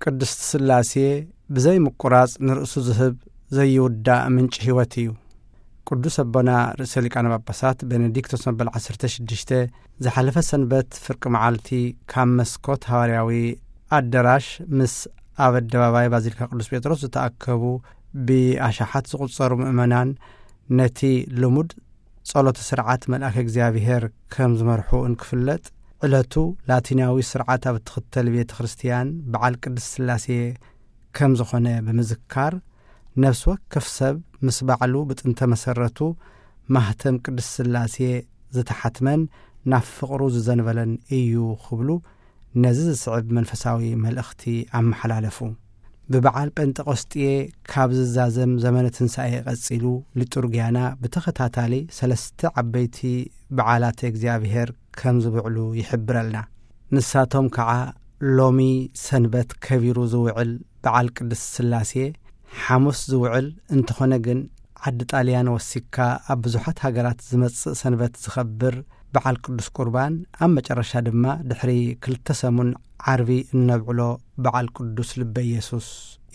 ቅድስቲ ስላሴ ብዘይ ምቁራጽ ንርእሱ ዝህብ ዘይውዳእ ምንጪ ሕይወት እዩ። ቅዱስ ኣቦና ርእሰ ሊቃነ ጳጳሳት ቤኔዲክቶስ መበል ዓሰርተ ሽዱሽተ ዝሓለፈ ሰንበት ፍርቂ መዓልቲ ካብ መስኮት ሃዋርያዊ ኣደራሽ ምስ ኣብ ኣደባባይ ባዚሊካ ቅዱስ ጴጥሮስ ዝተኣከቡ ብኣሽሓት ዝቑጸሩ ምእመናን ነቲ ልሙድ ጸሎተ ስርዓት መልኣከ እግዚኣብሔር ከም ዝመርሑ እንክፍለጥ፣ ዕለቱ ላቲናዊ ስርዓት ኣብ እትኽተል ቤተ ክርስቲያን በዓል ቅድስት ስላሴ ከም ዝኾነ ብምዝካር፣ ነፍሲ ወከፍ ሰብ ምስ ባዕሉ ብጥንተ መሰረቱ ማህተም ቅድስት ስላሴ ዝተሓትመን ናብ ፍቕሩ ዝዘንበለን እዩ ክብሉ ነዚ ዝስዕብ መንፈሳዊ መልእኽቲ ኣመሓላለፉ። ብበዓል ጴንጠቆስጤ ካብ ዝዛዘም ዘመነ ትንሳኤ ቀጺሉ፣ ሊጡርጊያና ብተኸታታሊ ሰለስተ ዓበይቲ በዓላተ እግዚኣብሔር ከም ዝብዕሉ ይሕብረልና። ንሳቶም ከዓ ሎሚ ሰንበት ከቢሩ ዝውዕል በዓል ቅድስት ስላሴ፣ ሓሙስ ዝውዕል እንተኾነ ግን ዓዲ ጣልያን ወሲካ ኣብ ብዙሓት ሃገራት ዝመጽእ ሰንበት ዝኸብር በዓል ቅዱስ ቁርባን፣ ኣብ መጨረሻ ድማ ድሕሪ ክልተ ሰሙን ዓርቢ እነብዕሎ በዓል ቅዱስ ልበ ኢየሱስ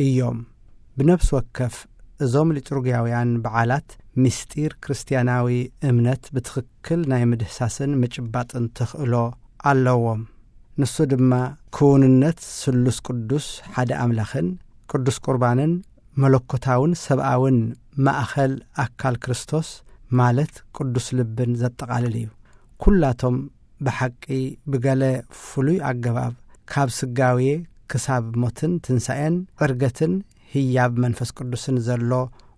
እዮም። ብነፍሲ ወከፍ እዞም ሊጡርጊያውያን በዓላት ምስጢር ክርስቲያናዊ እምነት ብትኽክል ናይ ምድህሳስን ምጭባጥን ተኽእሎ ኣለዎም። ንሱ ድማ ክውንነት ስሉስ ቅዱስ ሓደ ኣምላኽን ቅዱስ ቁርባንን መለኮታውን ሰብኣውን ማእኸል ኣካል ክርስቶስ ማለት ቅዱስ ልብን ዘጠቓልል እዩ። ኩላቶም ብሓቂ ብገለ ፍሉይ ኣገባብ ካብ ስጋዌ ክሳብ ሞትን ትንሳኤን ዕርገትን ህያብ መንፈስ ቅዱስን ዘሎ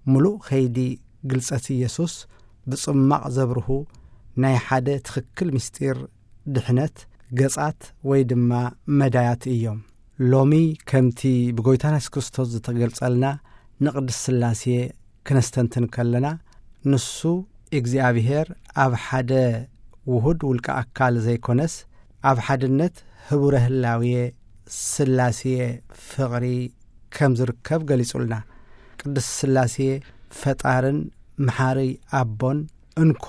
ምሉእ ከይዲ ግልጸት ኢየሱስ ብጽማቕ ዘብርሁ ናይ ሓደ ትኽክል ምስጢር ድሕነት ገጻት ወይ ድማ መዳያት እዮም። ሎሚ ከምቲ ብጎይታና የሱስ ክርስቶስ ዝተገልጸልና ንቅድስት ስላሴ ክነስተንትን ከለና፣ ንሱ እግዚኣብሔር ኣብ ሓደ ውሁድ ውልቀ ኣካል ዘይኮነስ፣ ኣብ ሓድነት ህቡረ ህላዌ ስላሴ ፍቕሪ ከም ዝርከብ ገሊጹልና። ቅድስት ስላሴ ፈጣርን መሓሪ ኣቦን እንኮ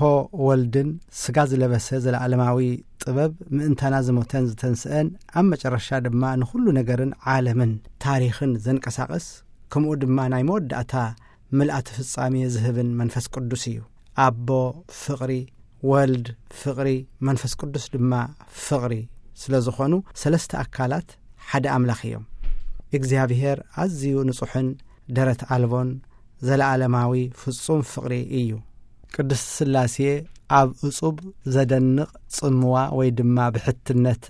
ወልድን ስጋ ዝለበሰ ዘለዓለማዊ ጥበብ ምእንታና ዝሞተን ዝተንስአን ኣብ መጨረሻ ድማ ንኹሉ ነገርን ዓለምን ታሪኽን ዘንቀሳቕስ፣ ከምኡ ድማ ናይ መወዳእታ ምልኣተ ፍጻሜ ዝህብን መንፈስ ቅዱስ እዩ። ኣቦ ፍቕሪ፣ ወልድ ፍቕሪ፣ መንፈስ ቅዱስ ድማ ፍቕሪ ስለ ዝኾኑ ሰለስተ ኣካላት ሓደ ኣምላኽ እዮም። እግዚኣብሔር ኣዝዩ ንጹሕን ደረት ኣልቦን ዘለዓለማዊ ፍጹም ፍቕሪ እዩ። ቅድስቲ ስላሴ ኣብ እጹብ ዘደንቕ ጽምዋ ወይ ድማ ብሕትነት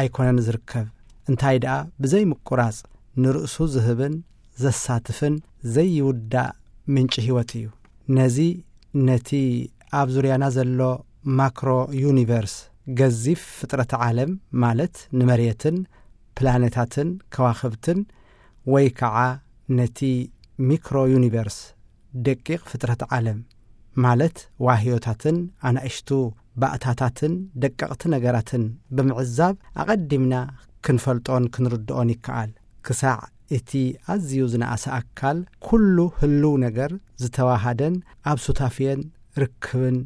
ኣይኮነን ዝርከብ። እንታይ ደኣ ብዘይ ምቁራጽ ንርእሱ ዝህብን ዘሳትፍን ዘይውዳእ ምንጪ ህይወት እዩ። ነዚ ነቲ ኣብ ዙርያና ዘሎ ማክሮ ዩኒቨርስ፣ ገዚፍ ፍጥረት ዓለም ማለት ንመሬትን ፕላኔታትን ከዋኽብትን፣ ወይ ከዓ ነቲ ሚክሮ ዩኒቨርስ፣ ደቂቕ ፍጥረት ዓለም ማለት ዋህዮታትን ኣናእሽቱ ባእታታትን ደቀቕቲ ነገራትን ብምዕዛብ ኣቐዲምና ክንፈልጦን ክንርድኦን ይከኣል። ክሳዕ እቲ ኣዝዩ ዝነኣሰ ኣካል ኩሉ ህልው ነገር ዝተዋሃደን ኣብ ሱታፌን ርክብን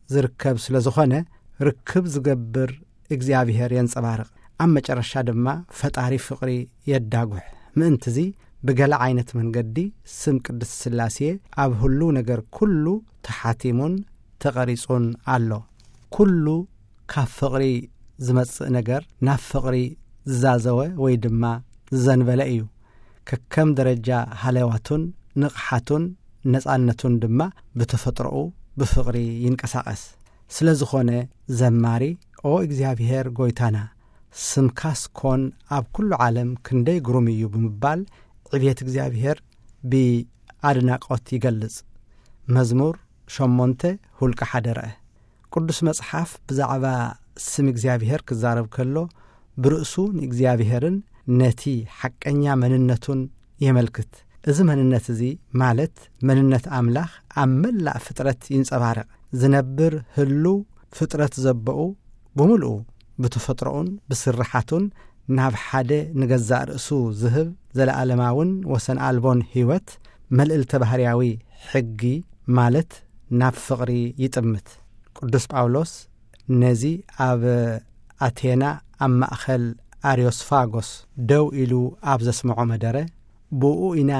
ዝርከብ ስለ ዝኾነ፣ ርክብ ዝገብር እግዚኣብሔር የንጸባርቕ። ኣብ መጨረሻ ድማ ፈጣሪ ፍቕሪ የዳጉሕ። ምእንትዚ ብገለ ዓይነት መንገዲ ስም ቅድስት ስላሴ ኣብ ህልው ነገር ኩሉ ተሓቲሙን ተቐሪጹን ኣሎ። ኩሉ ካብ ፍቕሪ ዝመጽእ ነገር ናብ ፍቕሪ ዝዛዘወ ወይ ድማ ዝዘንበለ እዩ። ከከም ደረጃ ሃለዋቱን ንቕሓቱን ነጻነቱን ድማ ብተፈጥሮኡ ብፍቕሪ ይንቀሳቐስ። ስለ ዝኾነ ዘማሪ፣ "ኦ እግዚኣብሔር ጐይታና፣ ስምካስ ኮን ኣብ ኩሉ ዓለም ክንደይ ግሩም እዩ" ብምባል ዕብየት እግዚኣብሔር ብኣድናቖት ይገልጽ። መዝሙር ሸሞንተ፣ ሁልቂ ሓደ ረኣ። ቅዱስ መጽሓፍ ብዛዕባ ስም እግዚኣብሔር ክዛረብ ከሎ፣ ብርእሱ ንእግዚኣብሔርን ነቲ ሓቀኛ መንነቱን የመልክት። እዚ መንነት እዚ፣ ማለት መንነት ኣምላኽ፣ ኣብ መላእ ፍጥረት ይንጸባረቕ። ዝነብር ህሉው ፍጥረት ዘበኡ ብምልኡ፣ ብተፈጥሮኡን ብስርሓቱን ናብ ሓደ ንገዛእ ርእሱ ዝህብ ዘለኣለማውን ወሰን ኣልቦን ህይወት፣ መልእልተ ባህርያዊ ሕጊ ማለት ናብ ፍቕሪ ይጥምት። ቅዱስ ጳውሎስ ነዚ ኣብ ኣቴና ኣብ ማእከል ኣርዮስፋጎስ ደው ኢሉ ኣብ ዘስምዖ መደረ፣ ብኡ ኢና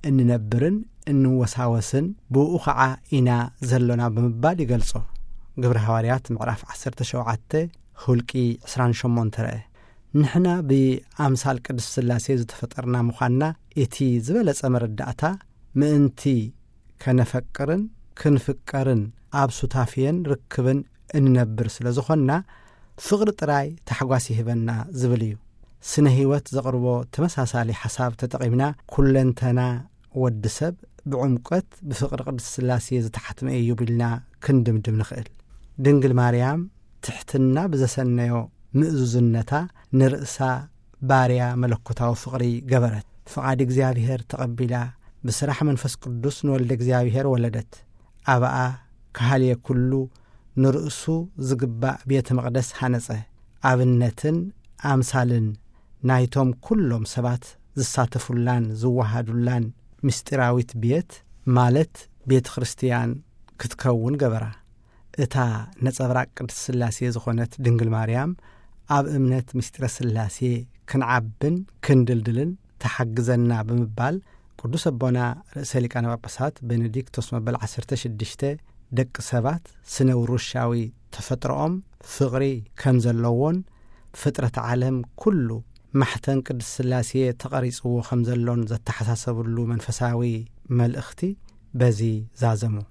እንነብርን እንወሳወስን፣ ብኡ ኸዓ ኢና ዘሎና ብምባል ይገልጾ። ግብሪ ሃዋርያት ምዕራፍ ዓሰርተ ሸውዓተ፣ ሁልቂ ዕስራን ሸሞንተ ረአ። ንሕና ብኣምሳል ቅድስት ሥላሴ ዝተፈጠርና ምዃንና እቲ ዝበለጸ መረዳእታ፣ ምእንቲ ከነፈቅርን ክንፍቀርን ኣብ ሱታፌን ርክብን እንነብር ስለ ዝኾንና፣ ፍቕሪ ጥራይ ታሕጓስ ይህበና ዝብል እዩ። ስነ ህይወት ዘቕርቦ ተመሳሳሊ ሓሳብ ተጠቒምና፣ ኩለንተና ወዲ ሰብ ብዕምቆት ብፍቕሪ ቅድስት ሥላሴ ዝተሓትመ እዩ ቢልና ክንድምድም ንኽእል። ድንግል ማርያም ትሕትና ብዘሰነዮ ምእዙዝነታ ንርእሳ ባርያ መለኮታዊ ፍቕሪ ገበረት። ፍቓድ እግዚኣብሔር ተቐቢላ፣ ብስራሕ መንፈስ ቅዱስ ንወልደ እግዚኣብሔር ወለደት። ኣብኣ ከሃልየ ኩሉ ንርእሱ ዝግባእ ቤተ መቕደስ ሃነጸ። ኣብነትን ኣምሳልን ናይቶም ኩሎም ሰባት ዝሳተፉላን ዝወሃዱላን ምስጢራዊት ቤት፣ ማለት ቤተ ክርስቲያን ክትከውን ገበራ። እታ ነጸብራቕ ቅድስት ሥላሴ ዝኾነት ድንግል ማርያም፣ ኣብ እምነት ምስጢረ ሥላሴ ክንዓብን ክንድልድልን ተሓግዘና ብምባል፣ ቅዱስ ኣቦና ርእሰ ሊቃነ ጳጳሳት ቤኔዲክቶስ መበል ዓሰርተ ሽዱሽተ፣ ደቂ ሰባት ስነ ውሩሻዊ ተፈጥሮኦም ፍቕሪ ከም ዘለዎን፣ ፍጥረት ዓለም ኩሉ ማሕተን ቅድስት ሥላሴ ተቐሪጽዎ ከም ዘሎን ዘተሓሳሰብሉ መንፈሳዊ መልእኽቲ በዚ ዛዘሙ።